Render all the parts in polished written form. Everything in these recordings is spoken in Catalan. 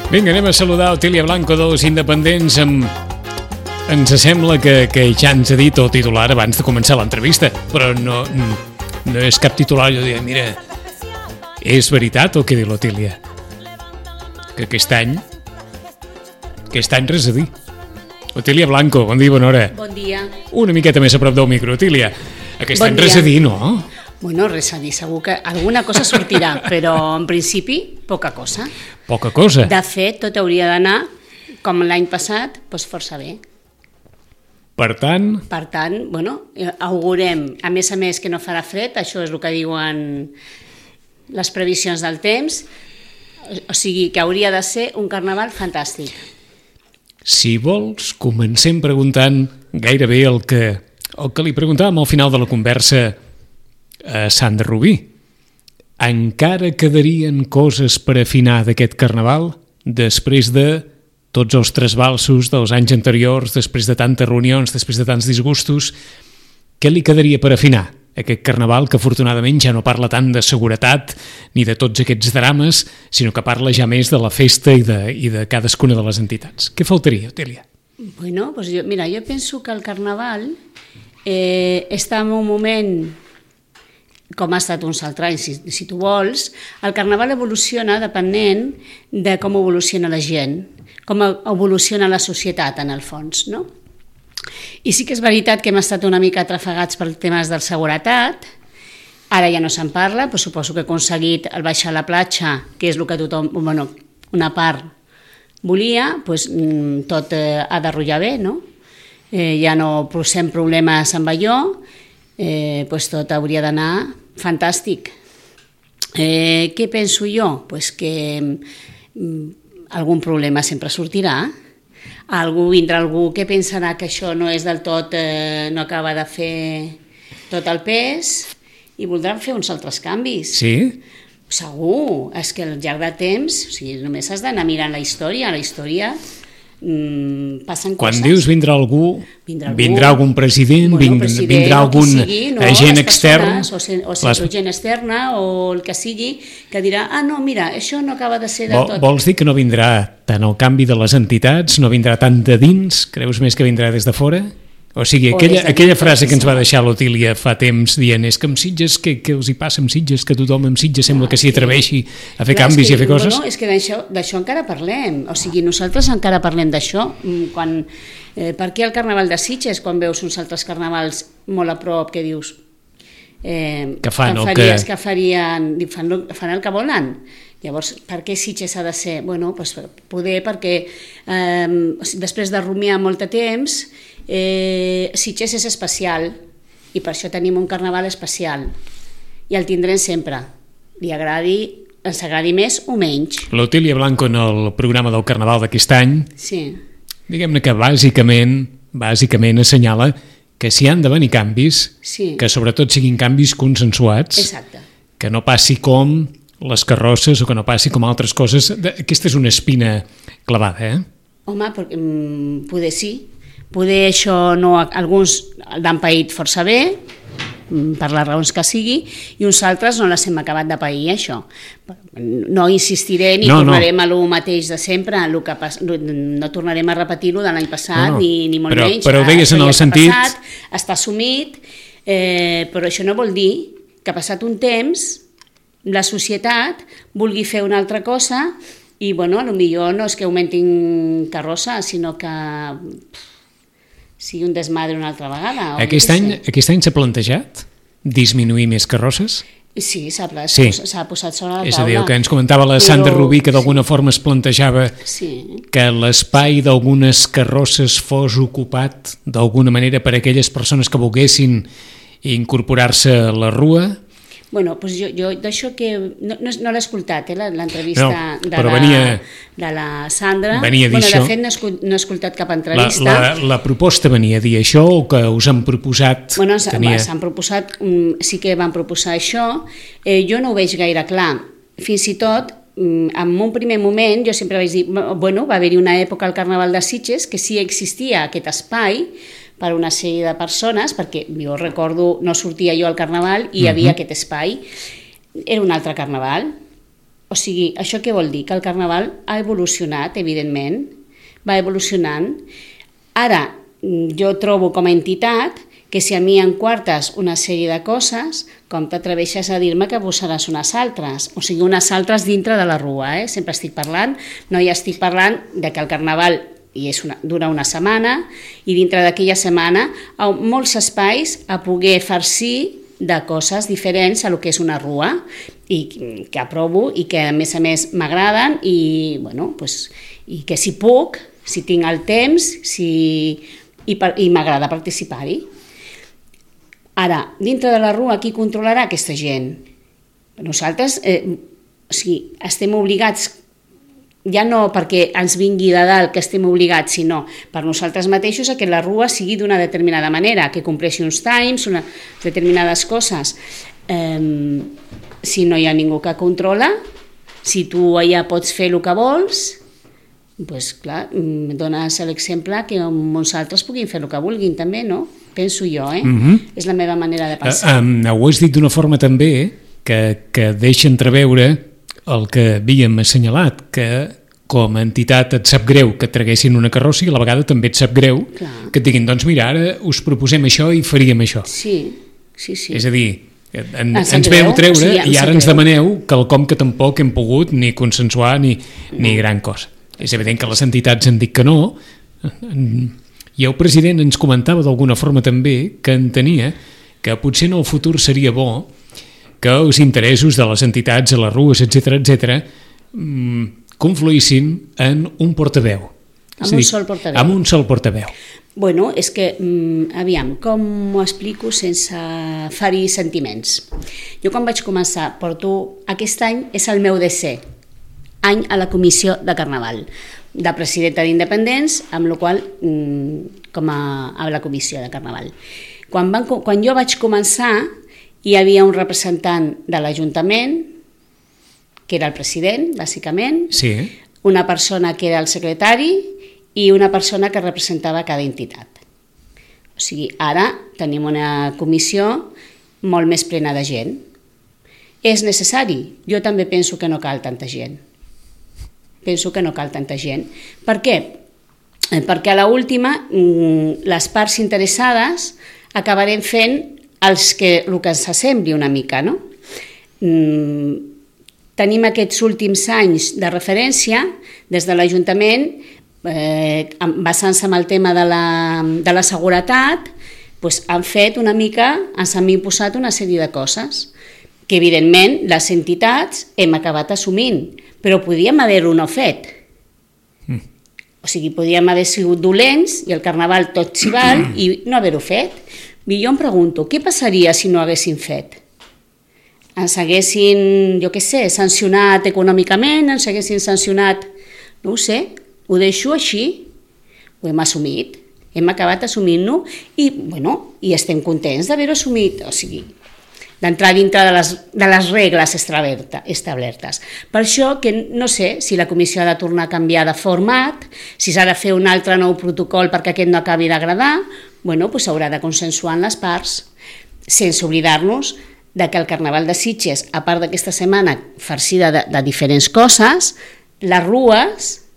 Vinga, anem a saludar Otília Blanco dels Independents. Ens sembla que ja ens ha dit el titular abans de començar l'entrevista, però no és cap titular. Jo diria, mira, és veritat el que diu l'Otília? Que aquest any res a dir. Otília Blanco, bon dia, bona hora. Bon dia. Una miqueta més a prop del micro, Otília. Aquest any res a dir, no? Bueno, res a dir, segur que alguna cosa sortirà, però en principi poca cosa. Poca cosa. De fet, tot hauria d'anar, com l'any passat, doncs força bé. Per tant, bueno, augurem, a més que no farà fred, això és el que diuen les previsions del temps, o sigui que hauria de ser un carnaval fantàstic. Si vols, comencem preguntant gairebé el que li preguntàvem al final de la conversa a Sandra Rubí. Encara quedarien coses per afinar d'aquest carnaval després de tots els trasbalsos dels anys anteriors, després de tantes reunions, després de tants disgustos? Què li quedaria per afinar aquest carnaval que afortunadament ja no parla tant de seguretat ni de tots aquests drames, sinó que parla ja més de la festa i de cadascuna de les entitats? Què faltaria, Otília? Bueno, doncs jo penso que el carnaval està en un moment, com ha estat uns altres anys, si tu vols. El carnaval evoluciona depenent de com evoluciona la gent, com evoluciona la societat, en el fons, no? I sí que és veritat que hem estat una mica atrafegats per temes de seguretat, ara ja no se'n parla, però suposo que he aconseguit el baixar a la platja, que és el que tothom, bueno, una part volia, doncs tot ha de rotllar bé, no? Ja no posem problemes amb allò, doncs tot hauria d'anar fantàstic. Què penso jo? Doncs que algun problema sempre sortirà. Vindrà algú que pensarà que això no és del tot, no acaba de fer tot el pes i voldran fer uns altres canvis. Sí? Segur, és que al llarg del temps, o sigui, només has d'anar mirant la història passen coses. Quan dius vindrà algú, vindrà algun president, vindrà algun agent extern, o gent externa o el que sigui, que dirà, no, mira, això no acaba de ser del tot. Vols dir que no vindrà tant el canvi de les entitats, no vindrà tant de dins, creus més que vindrà des de fora? O sigui, aquella frase que ens va deixar l'Otília fa temps dient és que amb Sitges, què els hi passa amb Sitges, que tothom amb Sitges sembla que s'hi atreveixi a fer canvis i a fer coses? No, és que d'això encara parlem, o sigui, nosaltres encara parlem d'això. Per què el carnaval de Sitges, quan veus uns altres carnavals molt a prop, que dius que fan el que volen? Llavors, per què Sitges ha de ser? Bueno, poder perquè després de rumiar molt de temps, Sitges és especial i per això tenim un carnaval especial i el tindrem sempre, ens agradi més o menys. L'Otília Blanco en el programa del carnaval d'aquest any, sí, diguem-ne que bàsicament assenyala que si han de venir canvis, sí, que sobretot siguin canvis consensuats. Exacte. Que no passi com les carrosses o que no passi com altres coses. Aquesta és una espina clavada, Home, poder sí. Poder això no, alguns l'han paït força bé, per les raons que sigui, i uns altres no les hem acabat de pair, això. No insistiré ni tornarem a lo mateix de sempre, no tornarem a repetir-ho de l'any passat, ni molt menys. Però ho deies en el sentit... Està assumit, però això no vol dir que passat un temps la societat vulgui fer una altra cosa i, bueno, potser no és que augmentin carrossa, sinó que sigui un desmadre una altra vegada. Aquest any s'ha plantejat disminuir més carrosses? Sí, s'ha posat sobre la taula. És a dir, el que ens comentava la Sandra Rubí, que d'alguna forma es plantejava que l'espai d'algunes carrosses fos ocupat d'alguna manera per aquelles persones que volguessin incorporar-se a la rua. Bueno, doncs jo d'això que... No l'he escoltat, l'entrevista de la Sandra. Venia a dir això. De fet, no he escoltat cap entrevista. La proposta venia a dir això o que us han proposat... Bueno, s'han proposat, sí que van proposar això. Jo no ho veig gaire clar. Fins i tot, en un primer moment, jo sempre vaig dir, bueno, va haver-hi una època al Carnaval de Sitges que sí existia aquest espai per una sèrie de persones, perquè jo recordo, no sortia jo al Carnaval i hi havia aquest espai. Era un altre Carnaval, O sigui, això què vol dir? Que el carnaval ha evolucionat, evidentment, va evolucionant. Ara, jo trobo com a entitat que si a mi em quartes una sèrie de coses, com t'atreveixes a dir-me que posaràs unes altres, o sigui, unes altres dintre de la rua, sempre estic parlant, no ja estic parlant de que el carnaval dura una setmana i dintre d'aquella setmana hi ha molts espais a poder farcir de coses diferents a lo que és una rua i que aprovo i que a més m'agraden i, bueno, pues, i que si puc, si tinc el temps i m'agrada participar-hi. Ara, dintre de la rua, qui controlarà aquesta gent? Nosaltres estem obligats, ja no perquè ens vingui de dalt que estem obligats, sinó per nosaltres mateixos a que la rua sigui d'una determinada manera, que compleixi uns times, determinades coses. Si no hi ha ningú que controla, si tu allà pots fer el que vols, doncs clar, dones l'exemple que molts altres puguin fer el que vulguin també, no? Penso jo, És la meva manera de pensar. Ho has dit d'una forma també que deixa entreveure el que havíem assenyalat, que com a entitat et sap greu que et traguessin una carrossa i a la vegada també et sap greu que et diguin, doncs mira, ara us proposem això i faríem això. Sí. És a dir, ens veu treure i ara ens demaneu quelcom que tampoc hem pogut ni consensuar ni gran cosa. És evident que les entitats han dit que no, i el president ens comentava d'alguna forma també que entenia que potser en el futur seria bo que els interessos de les entitats a les rues, etc., confluïssin en un portaveu. Amb un sol portaveu. Bueno, és que, aviam, com m'ho explico sense ferir sentiments? Jo quan vaig començar, aquest any és el meu desè any a la comissió de Carnaval, de presidenta d'Independents, amb la qual com a la comissió de Carnaval. Quan jo vaig començar, hi havia un representant de l'Ajuntament, que era el president, bàsicament, una persona que era el secretari i una persona que representava cada entitat. O sigui, ara tenim una comissió molt més plena de gent. És necessari? Jo també penso que no cal tanta gent. Per què? Perquè a l'última les parts interessades acabarem fent el que ens assembli una mica, no? Tenim aquests últims anys de referència des de l'Ajuntament, basant-se en el tema de la seguretat, han fet una mica, ens han imposat una sèrie de coses que evidentment les entitats hem acabat assumint, però podíem haver-ho no fet. O sigui, podíem haver sigut dolents i el carnaval tot s'hi val i no haver-ho fet. I jo em pregunto, què passaria si no haguessin fet? Ens haguessin, jo què sé, sancionat econòmicament, ens haguessin sancionat, no ho sé, ho deixo així, ho hem assumit, hem acabat assumint-ho i estem contents d'haver-ho assumit, o sigui, d'entrar dintre de les regles establertes. Per això que no sé si la comissió ha de tornar a canviar de format, si s'ha de fer un altre nou protocol perquè aquest no acabi d'agradar, s'haurà de consensuar en les parts, sense oblidar-nos que el Carnaval de Sitges, a part d'aquesta setmana farcida de diferents coses, les rues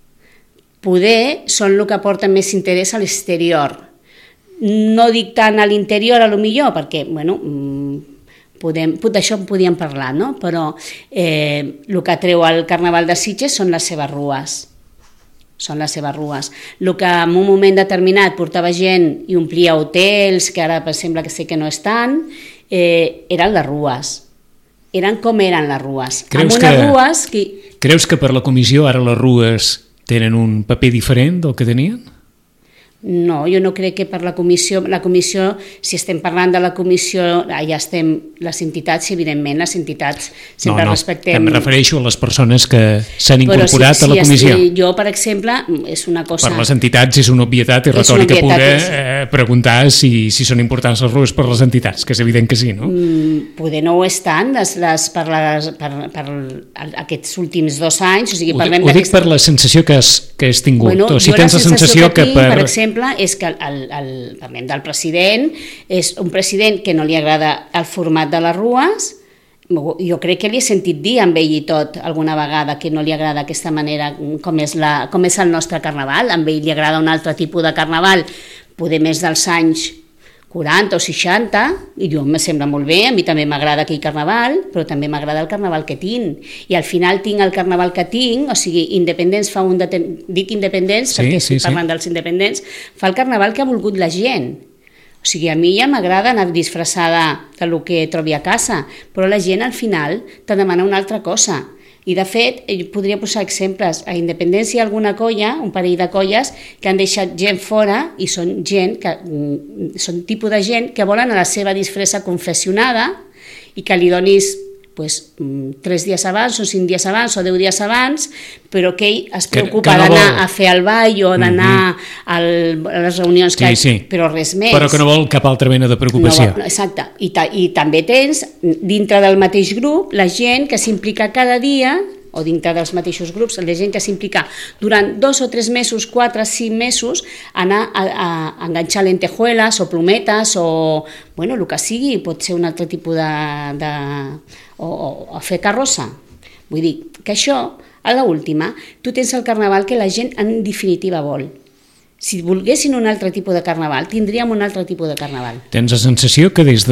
poder són el que aporta més interès a l'exterior. No dic tant a l'interior, a lo millor, perquè, d'això en podíem parlar, no? Però el que treu el Carnaval de Sitges són les seves rues. El que en un moment determinat portava gent i omplia hotels, que ara sembla que sé que no estan, eren les rues. Eren com eren les rues. Creus que per la comissió ara les rues tenen un paper diferent del que tenien? No, jo no crec que per la comissió, si estem parlant de la comissió, ja estem les entitats, i evidentment les entitats sempre respectem... Em refereixo a les persones que s'han incorporat a la comissió. Jo, per exemple, és una cosa... Per les entitats és una obvietat i retòrica pura preguntar si són importants les rues per les entitats, que és evident que sí, no? Poder no ho estan per aquests últims 2 anys, o sigui, parlem ho dic per la sensació que has tingut, o si tens la sensació que per exemple, és que parlem del president, és un president que no li agrada el format de les rues, jo crec que li he sentit dir amb ell i tot alguna vegada que no li agrada aquesta manera com és el nostre carnaval. Amb ell li agrada un altre tipus de carnaval, poder més dels anys 40 o 60, i jo me sembla molt bé, a mi també m'agrada aquell carnaval, però també m'agrada el carnaval que tinc, i al final tinc el carnaval que tinc, o sigui, Independents fa dic Independents perquè estic parlant dels independents, fa el carnaval que ha volgut la gent. O sigui, a mi ja m'agrada anar disfressada del que trobi a casa, però la gent al final te demana una altra cosa. I de fet, podria posar exemples. A Independència hi ha alguna colla, un parell de colles, que han deixat gent fora i són tipus de gent que volen a la seva disfressa confessionada i que li donis 3 dies abans o 5 dies abans o 10 dies abans, però que ell es preocupa d'anar a fer el ball o d'anar a les reunions, però res més. Però que no vol cap altra mena de preocupació. Exacte. I també tens, dintre del mateix grup, la gent que s'implica cada dia, o dintre dels mateixos grups, la gent que s'implica durant 2 o 3 mesos, 4 o 5 mesos, anar a enganxar lentejuelas o plometes o, el que sigui, pot ser un altre tipus o a fer carrossa. Vull dir que això, a l'última, tu tens el carnaval que la gent en definitiva vol. Si volguessin un altre tipus de carnaval, tindríem un altre tipus de carnaval. Tens la sensació que des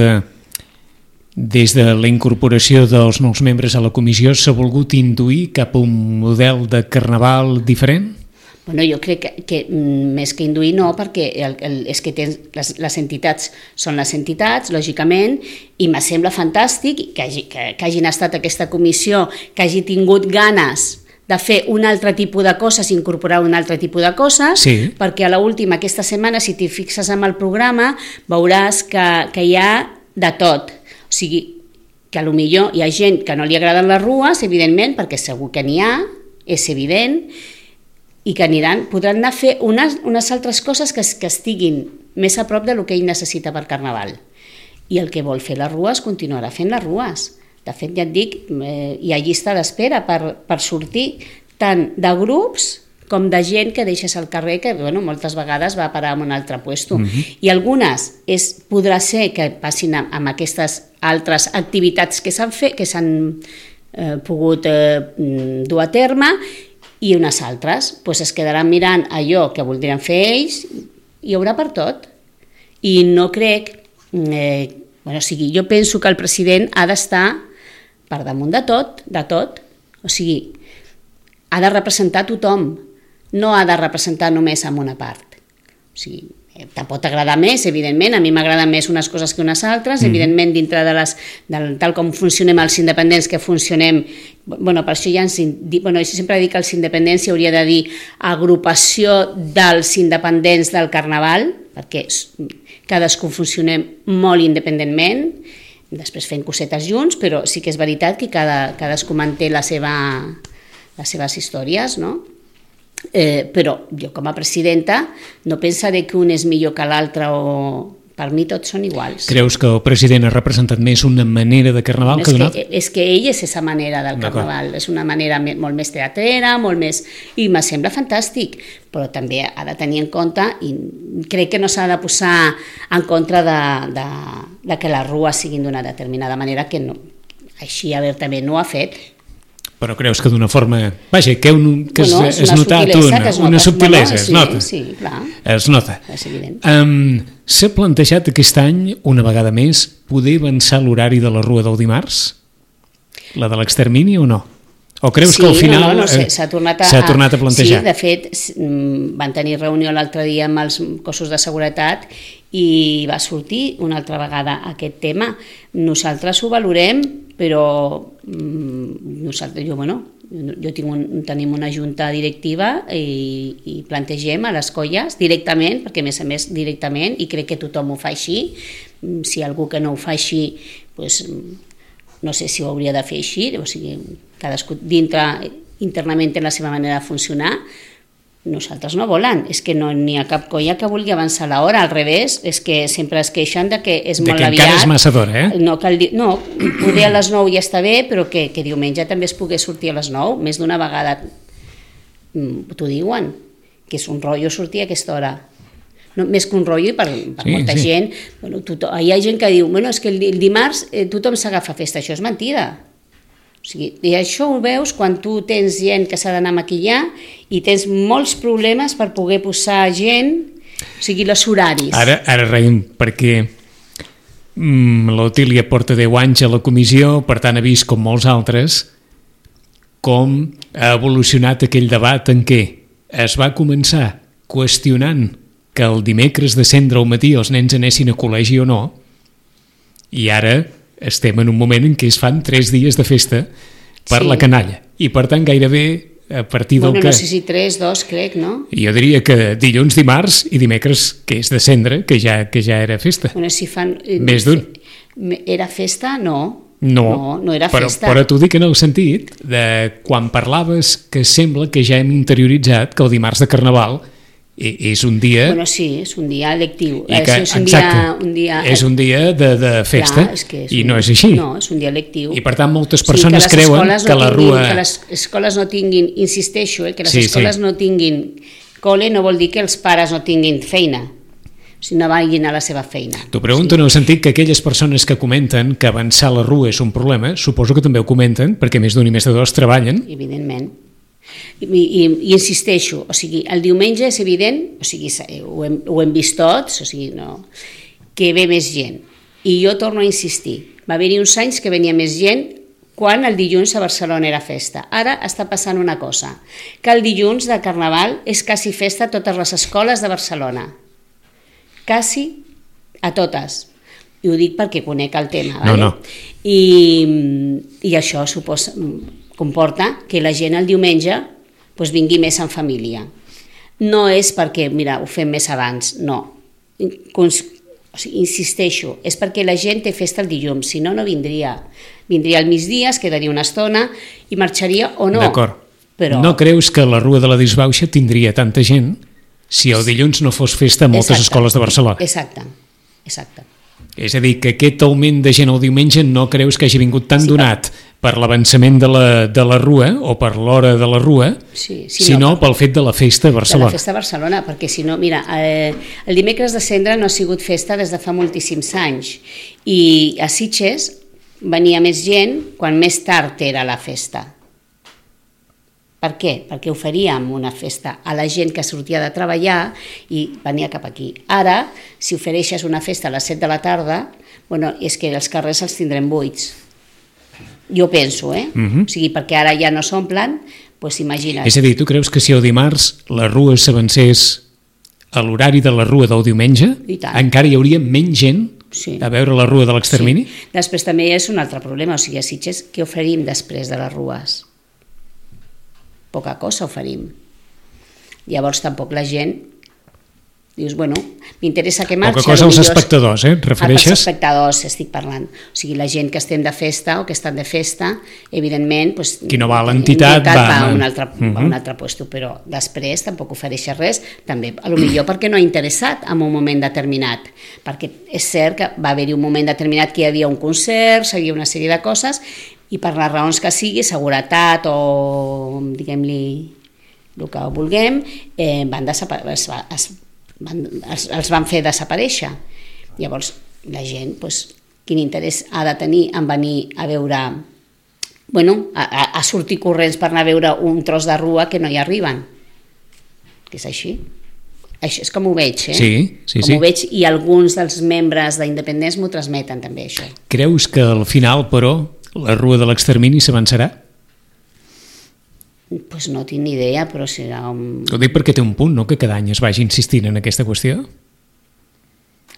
de la incorporació dels nous membres a la comissió s'ha volgut induir cap a un model de carnaval diferent? Jo crec que més que induir no, perquè és que les entitats són les entitats, lògicament, i me sembla fantàstic que hagin estat aquesta comissió, que hagi tingut ganes de fer un altre tipus de coses, incorporar un altre tipus de coses, perquè a l'última, aquesta setmana, si t'hi fixes en el programa, veuràs que hi ha de tot. O sigui, que potser hi ha gent que no li agraden les rues, evidentment, perquè segur que n'hi ha, és evident, i que podran anar a fer unes altres coses que estiguin més a prop del que ell necessita per Carnaval. I el que vol fer les rues continuarà fent les rues. De fet, ja et dic, hi ha llista d'espera per sortir tant de grups com de gent que deixes al carrer, que moltes vegades va a parar en un altre puesto. I algunes podrà ser que passin amb aquestes altres activitats que s'han pogut dur a terme, i unes altres es quedaran mirant allò que voldrien fer ells, i hi haurà per tot. I no crec... jo penso que el president ha d'estar per damunt de tot. O sigui, ha de representar tothom, no ha de representar només en una part. O sigui, te pot agradar més, evidentment, a mi m'agraden més unes coses que unes altres, evidentment dintre tal com funcionem els independents, que funcionem, per això ja jo sempre dic que els independents hi hauria de dir agrupació dels independents del Carnaval, perquè cadascú funcionem molt independentment, després fent cosetes junts, però sí que és veritat que cadascú manté les seves històries, no? Però jo com a presidenta no pensaré que un és millor que l'altre, o per mi tots són iguals. Creus que el president ha representat més una manera de Carnaval que d'una altra? És que ell és aquesta manera del Carnaval, és una manera molt més teatrera, molt més... i me sembla fantàstic, però també ha de tenir en compte, i crec que no s'ha de posar en contra de que les rues siguin d'una determinada manera, que no, així obertament no ho ha fet. Però creus que d'una forma... Vaja, que es notat una subtilesa, es nota. Sí, clar. Es nota. És evident. S'ha plantejat aquest any, una vegada més, poder avançar l'horari de la Rua del dimarts? La de l'extermini o no? O creus que al final s'ha tornat a plantejar? Sí, de fet, van tenir reunió l'altre dia amb els cossos de seguretat i va sortir una altra vegada aquest tema. Nosaltres ho valorem, però tenim una junta directiva i plantegem a les colles directament, perquè a més directament, i crec que tothom ho fa així. Si algú que no ho fa així, no sé si ho hauria de fer així, o sigui, cadascú internament té la seva manera de funcionar. Nosaltres no volen, és que no n'hi ha cap colla que vulgui avançar l'hora, al revés, és que sempre es queixen de que és molt aviat. De que encara és massa d'hora, No, poder a les 9 ja està bé, però que diumenge també es pogués sortir a les 9, més d'una vegada t'ho diuen, que és un rotllo sortir a aquesta hora. no, més que un rotllo per molta gent. Bueno, hi ha gent que diu, bueno, és que el dimarts tothom s'agafa a festa, això és mentida. O sigui, i això ho veus quan tu tens gent que s'ha d'anar a maquillar i tens molts problemes per poder posar gent, o sigui, els horaris. Ara reiem perquè l'Otília porta 10 anys a la comissió, per tant ha vist, com molts altres, com ha evolucionat aquell debat en què es va començar qüestionant que el dimecres de cendra al matí els nens anessin a col·legi o no, i ara estem en un moment en què es fan 3 dies de festa per la canalla. I per tant gairebé a partir del que... No sé si 3, 2, crec, no? Jo diria que dilluns, dimarts i dimecres, que és de cendra, que ja era festa. Bueno, si fan... Més d'un. Era festa? No. No era festa. Però t'ho dic en el sentit de quan parlaves que sembla que ja hem interioritzat que el dimarts de Carnaval és un dia... Bueno, sí, és un dia lectiu. És un dia de festa. Clar, i no és així. No, és un dia lectiu. I per tant moltes persones creuen que la rua... Que les escoles no tinguin, insisteixo, que les escoles no tinguin col·le no vol dir que els pares no tinguin feina. O sigui, no vagin a la seva feina. T'ho pregunto en el sentit que aquelles persones que comenten que avançar la rua és un problema, suposo que també ho comenten, perquè més d'un i més de dos treballen. Evidentment. I insisteixo, o sigui, el diumenge és evident, o sigui, ho hem vist tots, o sigui, no, que ve més gent. I jo torno a insistir, va haver-hi uns anys que venia més gent quan el dilluns a Barcelona era festa. Ara està passant una cosa, que el dilluns de Carnaval és quasi festa a totes les escoles de Barcelona. Quasi a totes. I ho dic perquè conec el tema. Vale? No. I això comporta que la gent el diumenge doncs vingui més en família. No és perquè, mira, ho fem més abans, no. O sigui, insisteixo, és perquè la gent té festa el dilluns, si no, no vindria. Vindria al migdia, es quedaria una estona i marxaria o no. D'acord. Però... No creus que la Rua de la Disbauxa tindria tanta gent si el dilluns no fos festa a moltes escoles de Barcelona? Exacte. És a dir, que aquest augment de gent el diumenge no creus que hagi vingut tan donat per l'avançament de la Rua o per l'hora de la Rua, sinó pel fet de la festa a Barcelona. De la festa a Barcelona, perquè si no, mira, el dimecres de cendra no ha sigut festa des de fa moltíssims anys i a Sitges venia més gent quan més tard era la festa. Per què? Perquè oferíem una festa a la gent que sortia de treballar i venia cap aquí. Ara, si ofereixes una festa a les 7 de la tarda, bueno, és que els carrers els tindrem buits. Jo penso, O sigui, perquè ara ja no s'omplen, doncs imagina't. És a dir, tu creus que si el dimarts la Rua s'avancés a l'horari de la Rua del diumenge, encara hi hauria menys gent a veure la Rua de l'extermini? Sí. Després també és un altre problema, o sigui, a Sitges, què oferim després de les rues? Poca cosa oferim. Llavors tampoc la gent dius, bueno, m'interessa que marxi. Poca cosa als espectadors, et refereixes? Als espectadors estic parlant. O sigui, la gent que estem de festa o que estan de festa, evidentment... Doncs, qui no va a l'entitat va a un altre puesto, però després tampoc ofereix res, també, potser perquè no ha interessat en un moment determinat, perquè és cert que va haver-hi un moment determinat que hi havia un concert, hi havia una sèrie de coses, i per les raons que sigui, seguretat o diguem-li el que vulguem, els van fer desaparèixer. Llavors, la gent, quin interès ha de tenir en venir a veure, a sortir corrents per anar a veure un tros de rua que no hi arriben? Que és així. Això és com ho veig, Sí. Ho veig, i alguns dels membres d'Independents m'ho transmeten també, això. Creus que al final, però, la Rua de l'extermini s'avançarà? Doncs no tinc ni idea, però serà un... Ho dic perquè té un punt, no?, que cada any es vagi insistint en aquesta qüestió.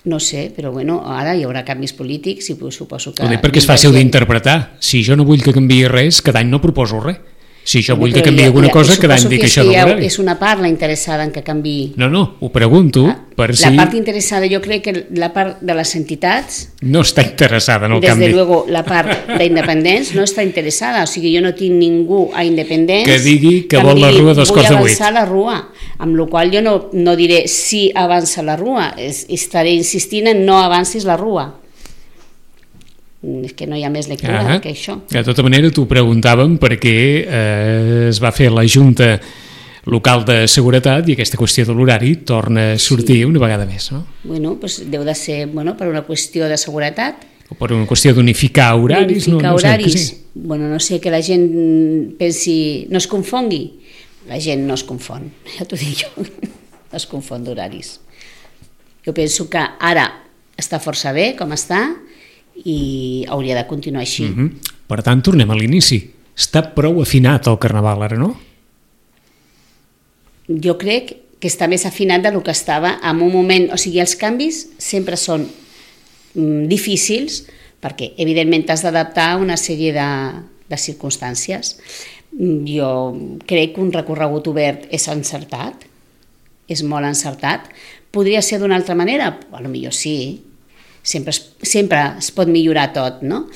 No sé, però ara hi haurà canvis polítics i suposo que... Ho dic perquè és fàcil d'interpretar. Si jo no vull que canviï res, cada any no proposo res. Si jo vull que canviï alguna cosa, cada any dic això de l'horari. És una part la interessada en que canviï. No, ho pregunto per si... La part interessada, jo crec que la part de les entitats... No està interessada en el canvi. Des de luego, la part d'independents no està interessada. O sigui, jo no tinc ningú a independents... Que digui que vol la Rua dos quarts de 8. Vull avançar la Rua. Amb la qual jo no diré si avança la Rua. Estaré insistint en no avancis la Rua. És que no hi ha més lectura que això. De tota manera, t'ho preguntàvem perquè es va fer la Junta local de seguretat i aquesta qüestió de l'horari torna a sortir una vegada més, no? Bueno, doncs deu de ser per una qüestió de seguretat. O per una qüestió d'unificar horaris. Unificar horaris. Sí. Bueno, no sé, que la gent pensi, no es confongui. La gent no es confon, ja t'ho dic jo, no es confon d'horaris. Jo penso que ara està força bé com està i hauria de continuar així. Per tant, tornem a l'inici. Està prou afinat el Carnaval ara, no? Jo crec que està més afinat del que estava en un moment, o sigui, els canvis sempre són difícils perquè evidentment t'has d'adaptar a una sèrie de circumstàncies. Jo crec que un recorregut obert és encertat, és molt encertat. Podria ser d'una altra manera? Potser sí, sempre es pot millorar tot, no?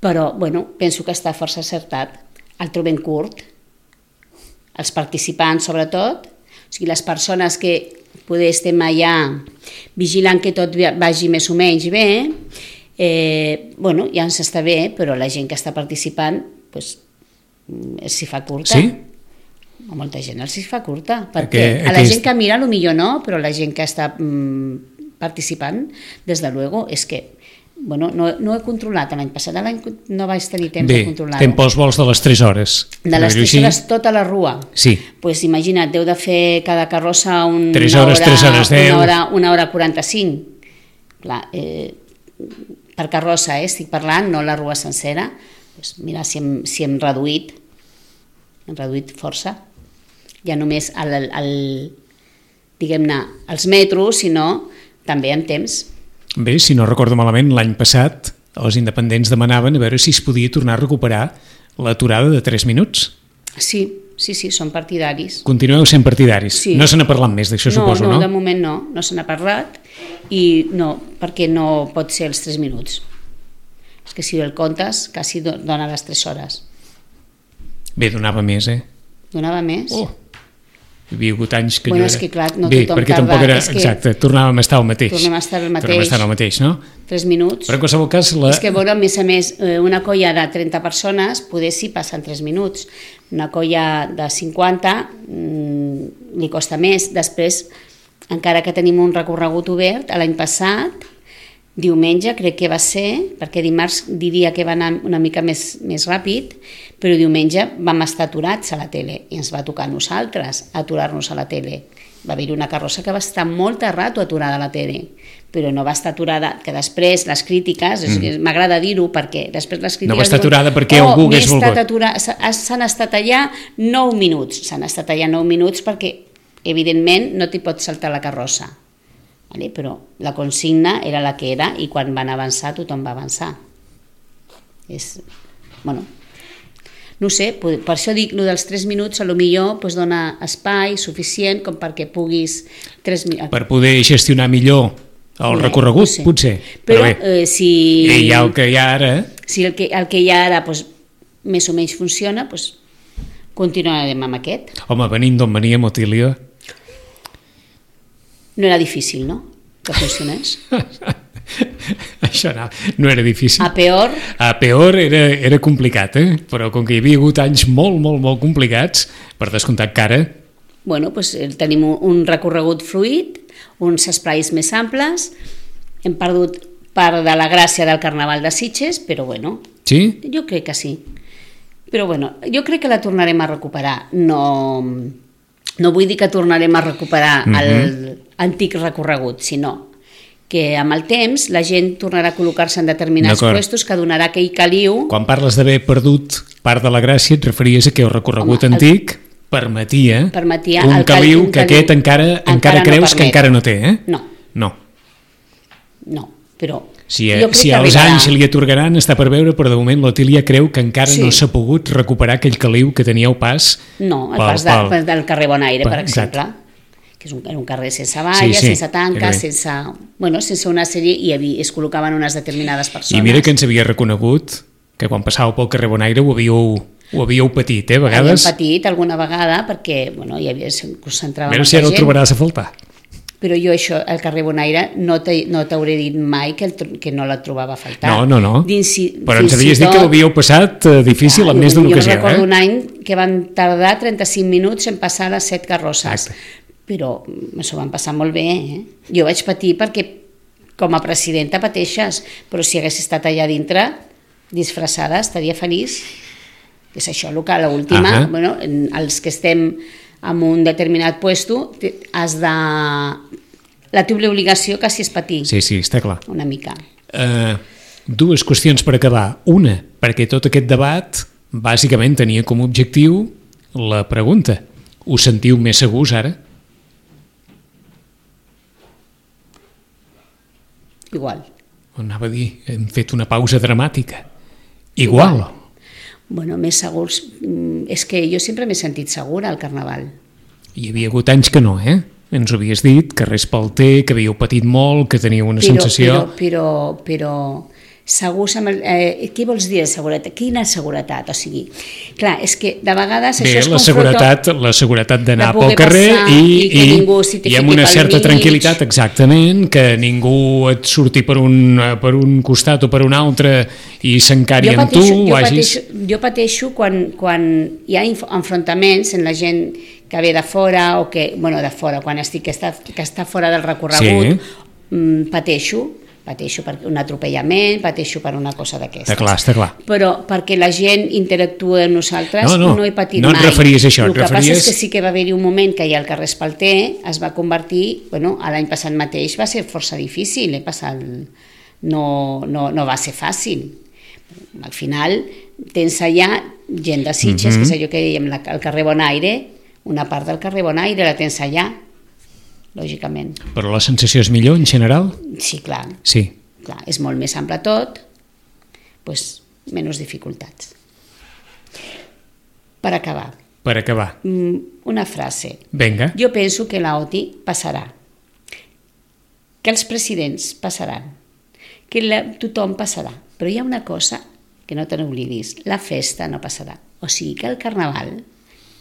Però bueno, penso que està força encertat. El trobem curt, els participants sobretot, o sigui, les persones que poder estem allà vigilant que tot vagi més o menys bé, bueno, ja ens està bé, però la gent que està participant s'hi fa curta. Sí? A molta gent s'hi fa curta, perquè a la gent que mira potser no, però la gent que està participant, des de luego, és que bueno, no he controlat l'any passat, l'any no vaig tenir temps de controlar-ho. Bé, temps vols de les 3 hores. De les 3 hores tota la rua. Sí. Doncs imagina't, deu de fer cada carrossa 3 hores, 10. Una hora 45. Clar, per carrossa, estic parlant, no la rua sencera. Doncs mira, si hem reduït força. Ja només diguem-ne, els metros, sinó també en temps. Bé, si no recordo malament, l'any passat els independents demanaven a veure si es podia tornar a recuperar l'aturada de 3 minuts. Sí, són partidaris. Continueu sent partidaris. Sí. No se n'ha parlat més d'això, suposo, no? No, de moment no se n'ha parlat i no, perquè no pot ser els 3 minuts. És que si el comptes, quasi dona les 3 hores. Bé, donava més, Donava més? Oh! Hi havia hagut anys que bueno, no era... És que clar, no bé, tothom perquè tarda. Tampoc era... Exacte, tornàvem a estar al mateix. Tornem a estar al mateix, no? 3 minuts. Però en qualsevol cas... És que, bueno, a més, una colla de 30 persones, poder sí passen 3 minuts. Una colla de 50 li costa més. Després, encara que tenim un recorregut obert, l'any passat, diumenge crec que va ser, perquè dimarts diria que va anar una mica més ràpid, però diumenge vam estar aturats a la tele i ens va tocar a nosaltres aturar-nos a la tele. Va haver-hi una carrossa que va estar molt de rato aturada a la tele, però no va estar aturada, que després les crítiques, m'agrada dir-ho perquè després les crítiques... No va estar aturada perquè algú hagués volgut. S'han estat allà 9 minuts, perquè evidentment no t'hi pots saltar la carrossa. Vale? Però la consigna era la que era i quan van avançar tothom va avançar. Bueno, no sé, per això dic, el dels 3 minuts potser dona espai suficient com perquè puguis... Per poder gestionar millor el recorregut, potser. Però si... I el que hi ha ara... Si el que hi ha ara més o menys funciona, continuarem amb aquest. Home, venint d'on veníem, Otília... No era difícil, no?, que funcionés. Això no era difícil. A peor... A peor era complicat, però com que hi havia hagut anys molt, molt, molt complicats, per descomptat que ara... Bueno, tenim un recorregut fluid, uns esprais més amples, hem perdut part de la gràcia del Carnaval de Sitges, però bueno... Sí? Jo crec que sí. Però bueno, jo crec que la tornarem a recuperar. No vull dir que tornarem a recuperar l'antic recorregut, sinó que amb el temps la gent tornarà a col·locar-se en determinats puestos que donarà aquell caliu. Quan parles d'haver perdut part de la gràcia et referies a que el recorregut antic permetia un caliu que aquest encara creus que encara no té, No, però... Si als anys li atorgaran està per veure, però de moment l'Otília creu que encara no s'ha pogut recuperar aquell caliu que teníeu pas... No, el pas del carrer Bonaire, per exemple, que era un carrer sense valles, sense tanques, sense una sèrie, i es col·locaven unes determinades persones. I mira que ens havia reconegut que quan passàveu pel carrer Bonaire ho havíeu patit, a vegades. Havíem patit alguna vegada perquè hi havia, concentràvem... A veure si ara ho trobaràs a faltar. Però jo això, al carrer Bonaire, no t'hauré dit mai que no la trobava a faltar. No. Però ens havies dit que ho havíeu passat difícil en més d'una ocasió. Jo recordo un any que van tardar 35 minuts en passar les 7 carrosses. Però s'ho van passar molt bé. Jo vaig patir perquè com a presidenta pateixes, però si hagués estat allà dintre, disfressada, estaria feliç. És això el que a l'última, els que estem en un determinat puesto, la teva obligació quasi és patir. Sí, està clar. Una mica. Dues qüestions per acabar. Una, perquè tot aquest debat bàsicament tenia com a objectiu la pregunta: us sentiu més segurs ara? Igual. Anava a dir, hem fet una pausa dramàtica. Igual. Bueno, més segurs... És que jo sempre m'he sentit segura al Carnaval. Hi havia hagut anys que no, Ens ho havies dit, que res pel té, que havíeu patit molt, que teníeu una sensació... Però segurs amb què vols dir de seguretat? Quina seguretat? O sigui, clar, és que de vegades això es confronta... la seguretat d'anar pel carrer i amb una certa tranquil·litat, exactament, que ningú et surti per un costat o per un altre i s'encari amb tu. Jo pateixo quan hi ha enfrontaments en la gent que ve de fora o que, de fora, quan estic que està fora del recorregut, pateixo per un atropellament, pateixo per una cosa d'aquestes. Està clar. Però perquè la gent interactua amb nosaltres no he patit mai. No et referies a això. El que passa és que sí que va haver-hi un moment que ja el carrer Espalter es va convertir, l'any passat mateix va ser força difícil, no va ser fàcil. Al final tens allà gent de Sitges, que és allò que dèiem, el carrer Bonaire, una part del carrer Bonaire la tens allà, lògicament. Però la sensació és millor, en general? Sí, clar. Sí. Clar, és molt més ample tot, menys dificultats. Per acabar. Una frase. Vinga. Jo penso que la OTI passarà, que els presidents passaran, que tothom passarà, però hi ha una cosa que no te n'oblidis, la festa no passarà. O sigui que el Carnaval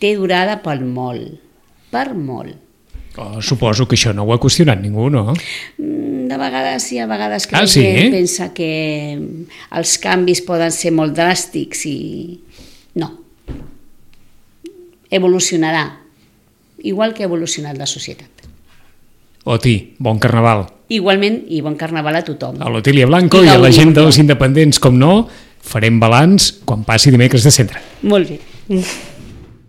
té durada per molt. Suposo que això no ho ha qüestionat ningú, no? De vegades hi ha vegades que la gent pensa que els canvis poden ser molt dràstics i no. Evolucionarà, igual que ha evolucionat la societat. Oti, bon Carnaval. Igualment, i bon Carnaval a tothom. A l'Otília Blanco i a la gent dels independents, com no, farem balanç quan passi dimecres de centre. Molt bé.